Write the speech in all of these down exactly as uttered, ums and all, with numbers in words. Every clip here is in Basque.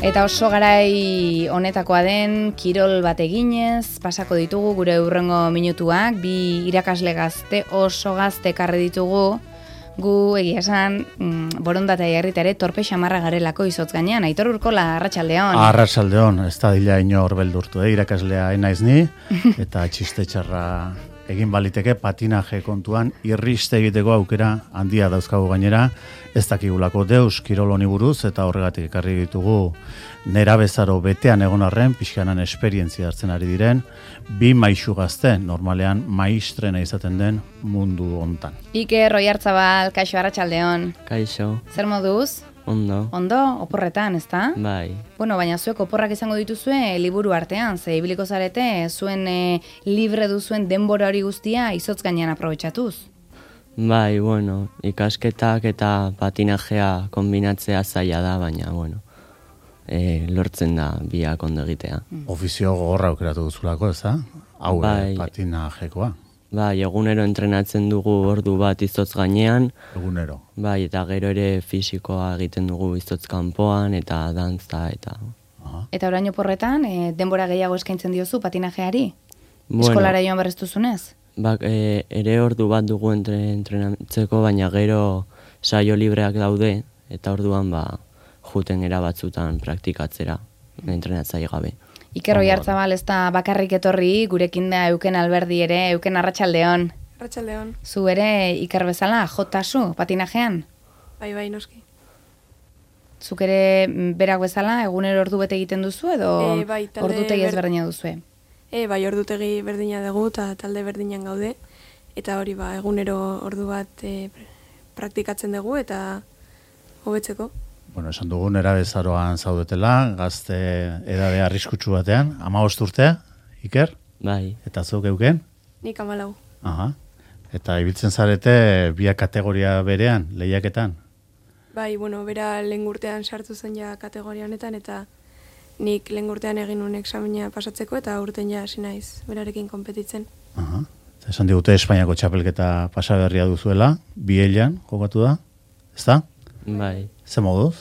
Eta oso garai honetakoa den kirol bat eginez, pasako ditugu gure hurrengo minutuak, bi irakasle gazte oso gazte ekarri ditugu, gu egia esan mm, borondatea jarrita ere torpe xamarra garelako izotz gainean. Aitor Urkola, arratsaldeon. Arratsaldeon, ez da dila inor beldurtu, eh? Irakaslea enaiz ni, eta txiste txarra egin baliteke patinaje kontuan irriste egiteko aukera handia dauzkagu gainera, ez dakigulako deus kirol honi buruz eta horregatik ekarri ditugu nerabezaro betean egon arren pixkanan esperientzia hartzen ari diren bi maixu gazte, normalean maistrena izaten den mundu hontan. Iker Oiartzabal, kaixo, arratsaldeon. Kaixo. Zer moduz? Ondo. Ondo, oporretan, ezta? Bai. Bueno, baina zuek oporrak izango dituzue liburu artean, ze ibiliko zarete zuen e, libre duzuen denbora hori guztia izotz gainean aprobetxatuz. Bai, bueno, ikasketak eta patinajea kombinatzea zaila da, baina, bueno, e, lortzen da biak ondo egitea. Ofizio gogorra aukeratu duzulako, ez da? Hau, Bai. patinajekoa. Bai, egunero entrenatzen dugu ordu bat izotz gainean. Egunero. Bai, eta gero ere fisikoa egiten dugu izotz kanpoan eta dantza eta... Aha. Eta orain oporretan, e, denbora gehiago eskaintzen diozu patinajeari? Bueno, Eskolara joan berreztuzunez? Bak, e, ere ordu bat dugu entre, entrenatzeko, baina gero saio libreak daude, eta orduan ba, juten era batzutan praktikatzera, entrenatzai gabe. Iker Oiartzabal ez da bakarrik etorri, gurekin da Euken Alberdi ere, Euken arratsaldeon. Arratsaldeon. Zu ere Iker bezala, jotasu, patinajean? Bai, bai, noski. Zuk ere berak bezala, egunero ordu bete egiten duzu, edo E, bai, talde ordutegi ber- ezberdina duzue? E, bai, ordutegi berdina dugu eta talde berdinan gaude. Eta hori ba, egunero ordu bat e, praktikatzen dugu eta hobetzeko. Bueno, esan dugu nerabezaroan zaudetela, gazte edade arriskutsu batean, hamabost urtea, Iker, Bai, eta zuk euken? Nik hamalau. Aha. Eta ibiltzen zarete biak kategoria berean, lehiaketan. Bai, bueno, bera lehen urtean sartu zen ja kategoria honetan eta nik lehen urtean egin nuen examina pasatzeko eta urten ja hasi naiz berarekin konpetitzen. Aha. Eta esan digute Espainiako txapelketa pasaberria duzuela, bielan jokatu da, ezta? bai. Ze moduz?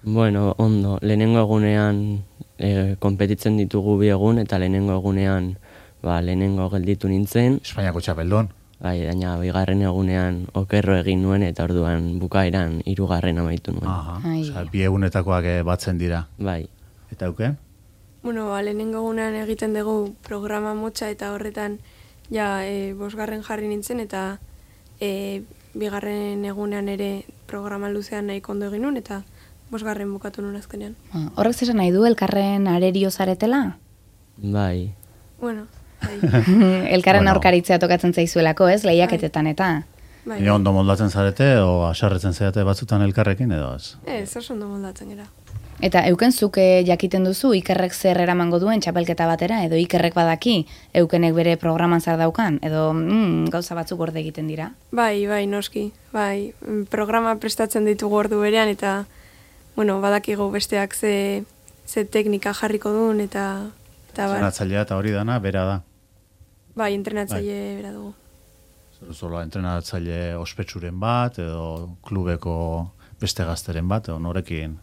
Bueno, ondo, lehenengo egunean e, konpetitzen ditugu bi egun, eta lehenengo egunean ba, lehenengo gelditu nintzen, Espainiako txapeldon. bai, baina bigarren egunean okerro egin nuen, eta orduan bukaeran hirugarren amaitu nuen. Aha. Ai. Osea, bi egunetakoak eh, batzen dira. Bai, Eta euken? Bueno, ba, lehenengo egunean egiten dugu programa motxa eta horretan ja e, bosgarren jarri nintzen eta e, bigarren egunean ere programa luzean nahiko ondo egin nuen eta bosgarren bukatu nuen azkenean. Ah, Horrek zesan nahi du, elkarren arerio zaretela? bai, Bueno, bai, Elkarren Bueno. aurkaritzea tokatzen zaizuelako, ez? Lehiaketetan eta. bai. Baina ondo moldatzen zarete, o asarretzen zarete batzutan elkarrekin, edo ez? Ez, oso ondo moldatzen gara. Eta euken zuke jakiten duzu, Ikerrek zer eramango duen txapelketa batera, edo Ikerrek badaki, eukenek bere programan zer daukan, edo mm, gauza batzuk gorde egiten dira. Bai, bai, noski. Bai, mm, programa prestatzen ditugu ordu berean eta bueno, badakigu besteak ze, ze teknika jarriko duen eta eta bar, Entrenatzailea eta hori dana, bera da. bai, entrenatzaile bera dugu. Zer zola entrenatzaile ospetsuren bat, edo klubeko beste gazteren bat, edo norekin.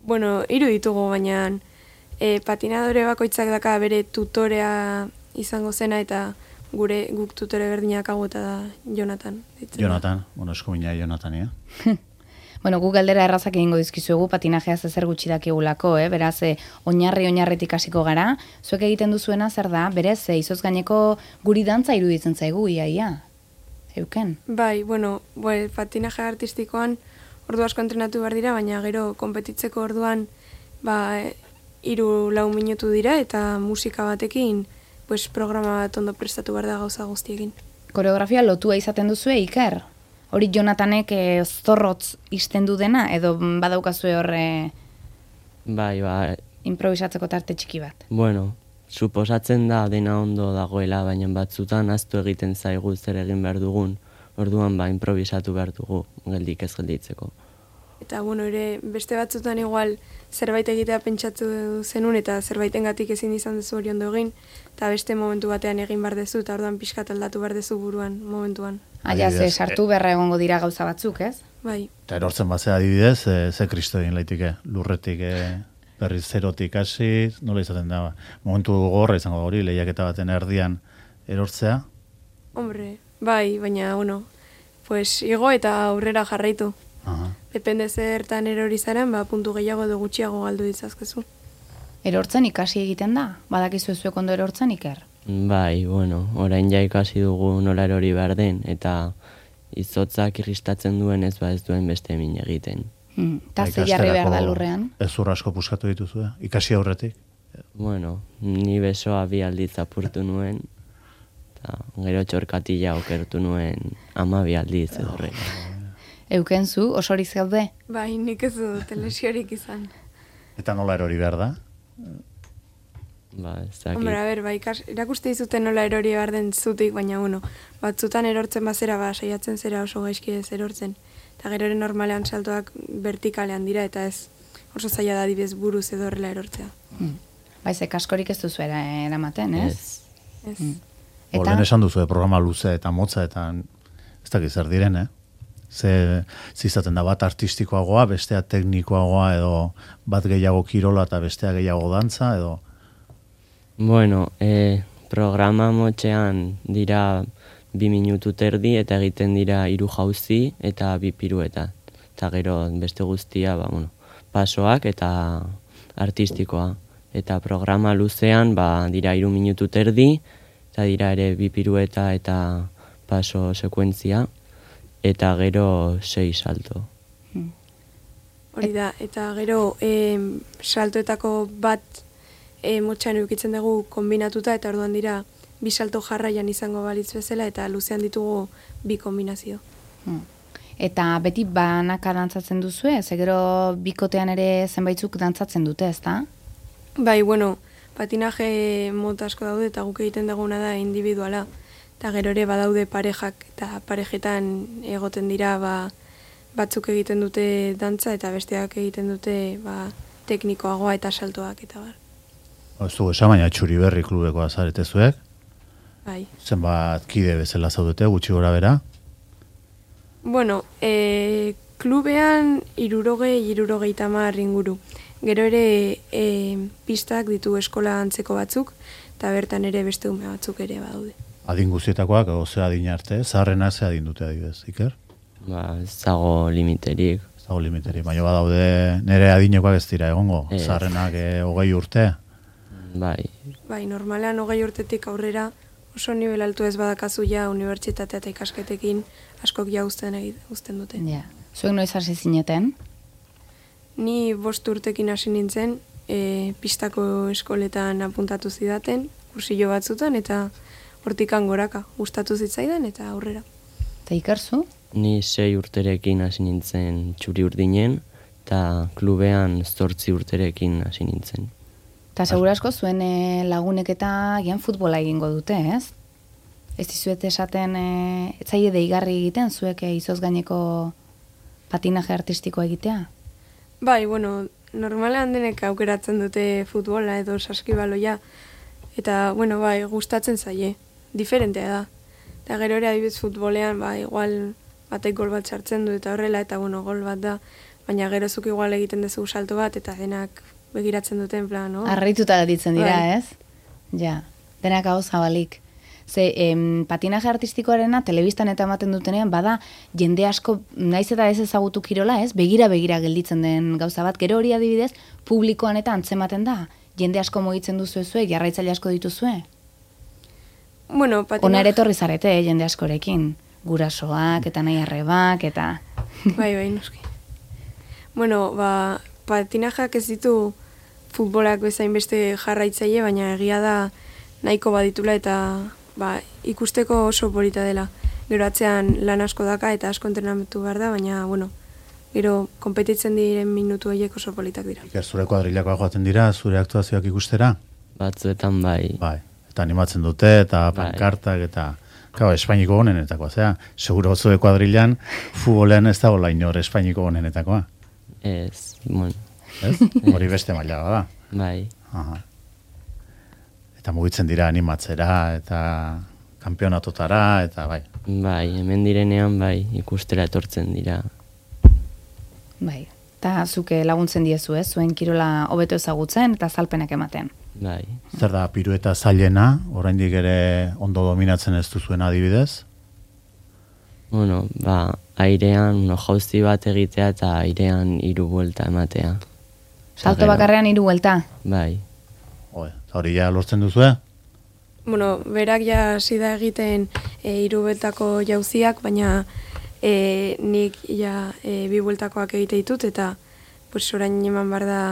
Bueno, hiru ditugu, baina e, patinadore bakoitzak daka bere tutorea izango zena eta gure guk tutore berdinak hau eta da Jonathan. deitzen da. Jonathan, bueno, eskumina Jonathan, ja. Bueno, gu galdera errazak egingo dizkizuegu patinajeaz ezer gutxi dakigulako, eh? Beraz, eh, oinarri oinarritik hasiko gara. Zuek egiten duzuena zer da, berez, eh, izotz gaineko guri dantza iruditzen zaigu, ia, ia. Euken. Bai, bueno, bue, patinaje artistikoan ordu asko entrenatu behar dira, baina gero konpetitzeko orduan ba, hiru lau minutu dira eta musika batekin pues, programa bat ondo prestatu behar da gauza guztiekin. Koreografia lotua izaten duzue, Iker? Hori Jonathanek eh, zorrotz istendu dena, edo badaukazue horre bai, ba, improvisatzeko tarte txiki bat? bueno, suposatzen da dena ondo dagoela, baina batzutan aztu egiten zaigu zer egin behar dugun, orduan ba, improvisatu behar dugu, geldik ez gelditzeko. Eta bueno, ere beste batzutan igual zerbait egitea pentsatu zenun eta zerbaitengatik ezin izan duzu hori ondo egin, eta beste momentu batean egin behar dezu, eta orduan pixkat aldatu behar dezu buruan momentuan. Aia, ze Adibidez, sartu beharra egongo dira gauza batzuk, ez? Bai. Eta erortzen batzea adibidez, e, ze kristo egin laitike, lurretik e, berriz zerotik hasi, nola izaten da, momentu gorra izango da hori, lehiaketa baten erdian erortzea? Hombre, bai, baina, bueno, pues igo eta aurrera jarraitu. Aha. Depende zertan erori zaren, ba, puntu gehiago edo gutxiago galdu ditzazkezu. Erortzen ikasi egiten da? Badakizu zuek ondo erortzen iker? Bai, bueno, orain ja ikasi dugu nola erori behar den, eta izotzak irristatzen duen ez ba ez duen beste min egiten. Hmm. Ta ze jarri behar da lurrean? Ez ur asko puskatu dituzue, ikasi aurretik? Bueno, ni besoa bi aldiz apurtu nuen, eta gero txorkatila okertu nuen ama bi aldiz edo horrela. Euken zu, osorik zaude? Bai, nik ez dut lesiorik izan. Eta nola erori behar da? Ba, ez dakit. Hombre, a ber, ba, ikas, irakuste dizuten nola erori behar den zutik, baina, bueno, batzutan erortzen bazera, ba, saiatzen zera oso gaizki ez erortzen. Eta gero ere normalean saltoak vertikalean dira, eta ez oso zaila da dibez buruz edo horrela erortzea. Hmm. Baiz, kaskorik ez duzu era, eramaten, ez? Ez. Ez. Hmm. Eta? Olen esan duzu, programa luze eta motza, eta ez dakit zer diren, eh? Ze zizaten da bat artistikoagoa, bestea teknikoagoa, edo bat gehiago kirola eta bestea gehiago dantza, edo... Bueno, e, programa motxean dira bi minutu terdi eta egiten dira hiru jauzi eta bi pirueta. Eta gero beste guztia, ba, bueno, pasoak eta artistikoa. Eta programa luzean ba, dira hiru minutu terdi, eta dira ere bi pirueta eta paso sekuentzia, eta gero sei salto. Hori da, eta gero e, saltoetako bat e, motxan eukitzen dugu kombinatuta, eta orduan dira bi salto jarraian izango balitz bezala, eta luzean ditugu bi kombinazio. Hmm. Eta beti banaka dantzatzen duzue, ze gero bikotean ere zenbaitzuk dantzatzen dute, ezta? Bai, bueno, patinaje mota asko daude, eta guk egiten duguna da individuala. Eta gero ere badaude parejak, eta parejetan egoten dira ba, batzuk egiten dute dantza, eta besteak egiten dute ba, teknikoagoa eta saltoak, eta bar. Ez dugu esan, baina Txuri Berri klubeko azaretezuek. Bai. Zenbat kide bezala zaudete, gutxi gora bera? Bueno, e, klubean irurogei, irurogei tamar inguru. Gero ere e, pistak ditu eskola antzeko batzuk, eta bertan ere beste ume batzuk ere badaude. Adin guztietakoak, oze adin arte, zaharrena ze adin dute adibidez, Iker? Ba, ez dago limiterik. Ez dago limiteri, baina badaude nire adinekoak ez dira egongo, Ez. zaharrenak e, hogei urte. Bai, Bai, normalean hogei urtetik aurrera oso nivel altu ez badakazu ja unibertsitatea eta ikasketekin askok ja uzten, egit- uzten dute. Ja. Zuek noiz hasi zineten? Ni bost urtekin hasi nintzen, e, pistako eskoletan apuntatu zidaten, kursillo batzutan, eta hortikan goraka, gustatu zitzaidan eta aurrera. Eta ikerzu? ni sei urterekin hasi nintzen Txuri Urdinen, eta klubean zortzi urterekin hasi nintzen. Eta segurasko zuen e, lagunek eta gian futbola egingo dute, ez? Ez dizuet esaten, e, etzaile deigarri egiten, zuek e, izoz gaineko patinaje artistikoa egitea? Bai, bueno, normalean denek aukeratzen dute futbola edo saskibaloia, eta, bueno, bai, gustatzen zaie, diferentea da. Eta gero ere adibidez futbolean, ba, igual batek gol bat sartzen du eta horrela, eta, bueno, gol bat da, baina gero zuk igual egiten duzu salto bat, eta denak begiratzen duten plan, no? Arrituta gelditzen dira, Bai. ez? Ja, denak hau zabalik. Ze, em, patinaje artistikoarena telebistan eta ematen dutenean, bada, jende asko, naiz eta ez ezagutu kirola, ez? Begira-begira gelditzen den gauza bat, gero hori adibidez, publikoan eta antzematen da. Jende asko mugitzen duzu zuek, jarraitzaile asko dituzue. Bueno, Ona patinaje... ere etorri zarete, eh, jende askorekin. Gurasoak eta nahi arrebak eta... Bai, bai, noski. Bueno, ba, patinajeak ez ditu futbolak bezain beste jarraitzaile, baina egia da nahiko baditula eta ba, ikusteko oso polita dela. Gero atzean lan asko daka eta asko entrenamentu behar da, baina, bueno, gero konpetitzen diren minutu horiek oso politak dira. Iker, zure kuadrilakoak joaten dira, zure aktuazioak ikustera? Batzuetan bai. Bai, eta animatzen dute, eta Bai. pankartak, eta... Kau, Espainiko honenetakoa, zera, seguro zure kuadrilan, futbolean ez dago lainor Espainiko honenetakoa. Ez, bueno, Ez? Hori beste maila da. bai. Aha. Eta mugitzen dira animatzera, eta kanpionatotara, eta bai. Bai, hemen direnean bai, ikustera etortzen dira. Bai, eta zuke laguntzen diezu, ez? Zuen kirola hobeto ezagutzen eta azalpenak ematen. Bai. Zer da pirueta zailena, oraindik ere ondo dominatzen ez duzuen adibidez? Bueno, ba, airean no, jauzi bat egitea eta airean hiru buelta ematea. Salto bakarrean hiru buelta? Bai. Oe, hori ja lortzen duzu, eh? Bueno, berak ja hasi da egiten e, hiru bueltako jauziak, baina e, nik ja e, bi bueltakoak egite ditut, eta pues, orain eman behar da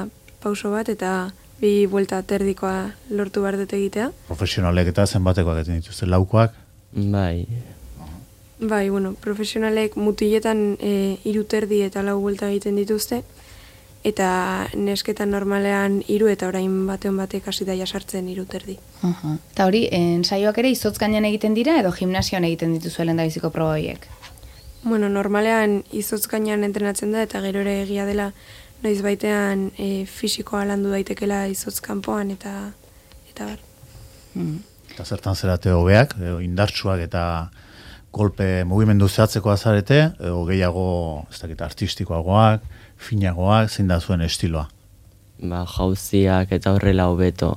pauso bat, eta bi buelta terdikoa lortu behar dut egitea. Profesionalek eta zenbatekoak egiten dituzte, laukoak? Bai. Bai, bueno, profesionalek mutiletan e, hiru terdi eta lau buelta egiten dituzte, eta nesketan normalean hiru eta orain batean batek hasi da jasartzen hiru terdi. Uh-huh. Eta hori, ensaioak ere izotz gainean egiten dira edo gimnasioan egiten dituzu lehendabiziko proba horiek? Bueno, normalean izotz gainean entrenatzen da, eta gero ere egia dela noiz baitean e, fisikoa landu daitekela izotz kanpoan, eta eta bar. Mm. Eta zertan zerate hobeak, edo indartsuak eta golpe mugimendu zehatzeko azarete, edo gehiago, ez dakit, artistikoagoak, finagoak, zein da zuen estiloa? Ba, jauziak eta horrela hobeto,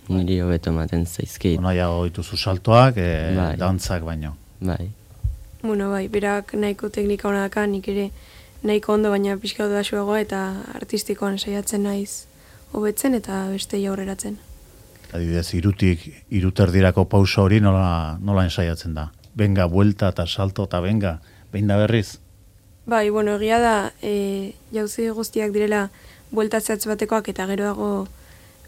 niri hobeto ematen zaizkit. Nahiago dituzu saltoak, e, Bai. dantzak baino. Bai. Bueno, bai, berak nahiko teknika hona daka, nik ere nahiko ondo, baina pixka da suagoa, eta artistikoan saiatzen naiz hobetzen eta beste aurreratzen. Adibidez, irutik, iruterdirako pauso hori nola, nola ensaiatzen da? Benga, buelta eta salto eta benga, behin da berriz? Bai, bueno, egia da, e, jauzi guztiak direla buelta zehatz batekoak, eta gero dago,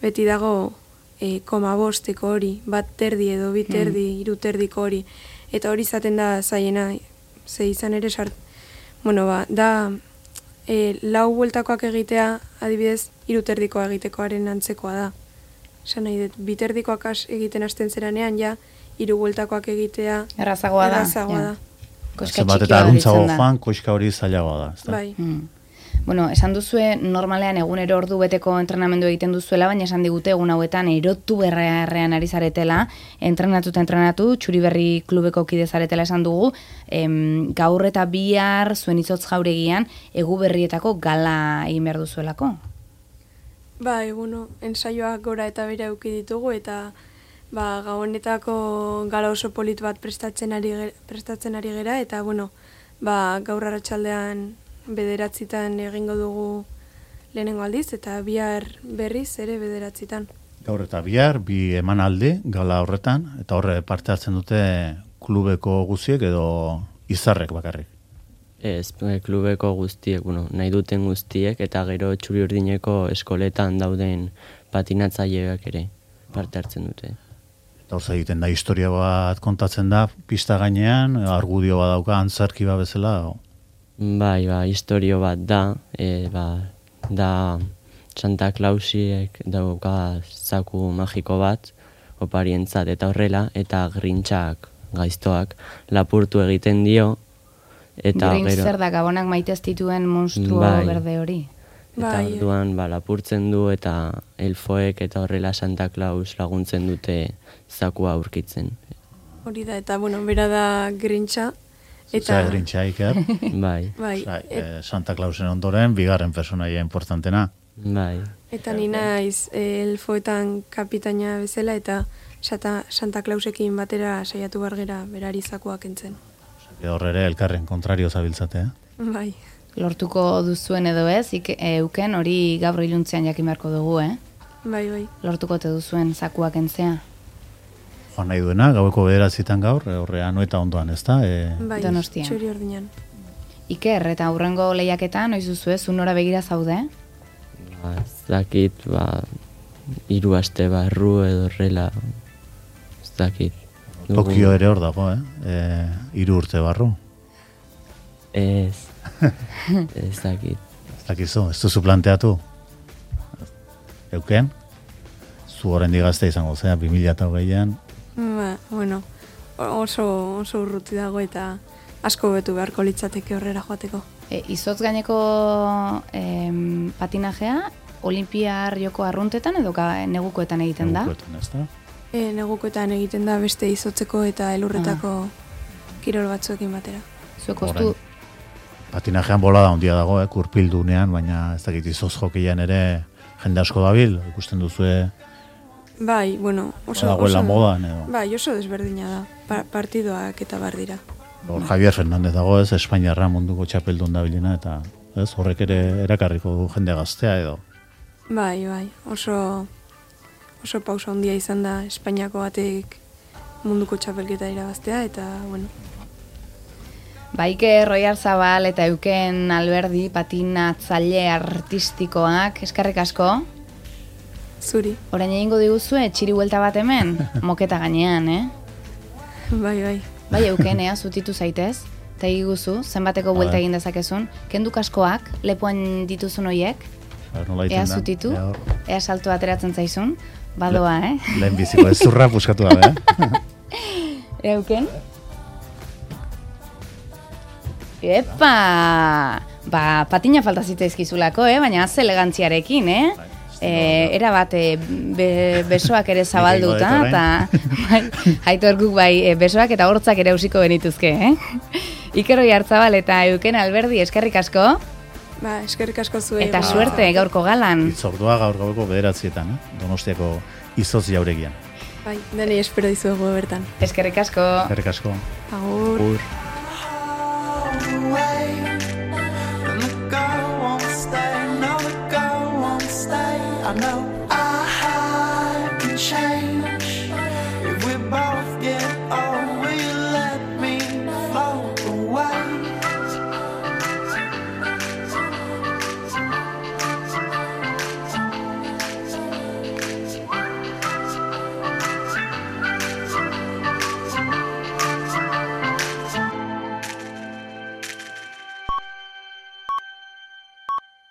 beti dago e, koma bosteko hori, bat terdi edo bi terdi, mm. hiru terdiko hori, eta hori izaten da zaiena, ze izan ere sart, bueno, ba, da e, lau bueltakoak egitea, adibidez, hiru terdikoa egitekoaren antzekoa da. Esan nahi dut, bi terdikoak as egiten hasten zeranean, ja, hiru bueltakoak egitea Errazagoa da. errazagoa da. Koska Zenbat txikia eta aruntzago gelditzen da. joan, koska hori zailagoa da. Ezta? Bai. Mm. Bueno, esan duzue normalean egunero ordu beteko entrenamendu egiten duzuela, baina esan digute egun hauetan erotu berrean ari zaretela, entrenatu eta entrenatu, Txuriberri klubeko kide zaretela esan dugu, em, gaur eta bihar zuen izotz jauregian egu berrietako gala egin behar duzuelako. Bai, bueno, ensaioak gora eta bera eduki ditugu, eta ba, gabonetako gala oso polit bat prestatzen ari, ge- prestatzen ari gera, eta bueno, ba, gaur arratsaldean bederatzitan egingo dugu lehenengo aldiz, eta bihar berriz ere bederatzitan. Gaur eta bihar, bi emanaldi gala horretan, eta horre parte hartzen dute klubeko guztiek edo izarrek bakarrik. Ez, e, klubeko guztiek, bueno, nahi duten guztiek, eta gero Txuri Urdineko eskoletan dauden patinatzaileak ere parte hartzen dute. Eta hor egiten da, historia bat kontatzen da, pista gainean, argudio bat dauka, antzarki bat bezala. O... Bai, ba, historio bat da, e, ba, da Santa Clausiek dauka zaku magiko bat, oparientzat eta horrela, eta Grinchak, gaiztoak, lapurtu egiten dio, eta Grinch gero... zer da, gabonak maitez dituen monstruo Bai. berde hori. Eta Bai. orduan ba, lapurtzen du eta elfoek eta horrela Santa Claus laguntzen dute zakua aurkitzen. Hori da, eta bueno, bera da Grincha, Eta eta Grincha Iker, Bai, bai, Osea, et, eh, Santa Clausen ondoren, bigarren personaia importantena. bai, eta ni naiz eh, elfoetan kapitaina bezala, eta Santa, Santa Clausekin batera saiatu bargera berari zakuak entzen. Osea, Hor ere elkarren kontrario zabiltzate, eh? Bai, Lortuko duzuen edo ez, ik, e, euken hori gaur iluntzean jakin beharko dugu, eh? bai, bai. Lortuko te duzuen zakuak entzea. Joan nahi duena, gaueko bederatzitan gaur, e, horrean eta ondoan, ezta? E, Bai, Donostian. Txuri Urdinan. Iker, eta hurrengo lehiaketan, noiz duzu ez, unora begira zaude? ba, ez dakit, ba, hiru aste barru edo horrela, ez dakit. Dugu- Tokio ere hor dago, eh? E, hiru urte barru. Ez, ez dakit. Ez dakizu, ez duzu planteatu? Euken? Zu horren digazte izango zea, bi mila eta hogeian. Ba, bueno, oso, oso urruti dago, eta asko betu beharko litzateke horrera joateko. E, izotz gaineko em, patinajea, olimpiar joko arruntetan edo ga, negukoetan egiten da? Negukoetan, ezta? E, negukoetan egiten da beste izotzeko eta elurretako kirol batzuekin batera. Zuek ostu, patinajean bolada handia dago, eh, kurpildunean, baina ez dakit izoz jokeian ere jende asko dabil, ikusten duzue Bai, bueno, oso... dagoela modan edo. Bai, oso desberdina da, pa partidoak eta bar dira. Hor Javier Fernández dago, ez, Espainiarra munduko txapeldun dabilena, eta ez, horrek ere erakarriko du jende gaztea edo. Bai, bai, oso oso pausa handia izan da Espainiako batek munduko txapelketa irabaztea, eta, bueno. Baike Roiarzabal eta Euken Alberdi patinatzaile artistikoak, eskerrik asko. Zuri. Orain egingo diguzue, txiri buelta bat hemen, moketa gainean, eh? Bai, bai. Bai, Euken, ea, zutitu zaitez, eta eguzu, zenbateko buelta egin dezakezun, kendu kaskoak, lepoan dituzun hoiek, ea zutitu, ea salto ateratzen zaizun, badoa, eh? Lehen biziko, ez zurra puskatu da, eh? Euken? Epa! Ba, patina falta zitzaizkizulako, eh? Baina az elegantziarekin, eh? E, era bat, e, be, besoak ere zabalduta, eta bai, Aitor guk bai, e, besoak eta hortzak ere usiko benituzke, eh? Iker Roiarzabal eta Euken Alberdi, eskerrik asko. Ba, eskerrik asko zuei. Eta ba. suerte gaurko galan. Itzordua gaur gaueko bederatzietan, eh? Donostiako izoz jauregian. Bai, denei espero dizuegu bertan. Eskerrik asko. Eskerrik asko. Agur. Agur. I know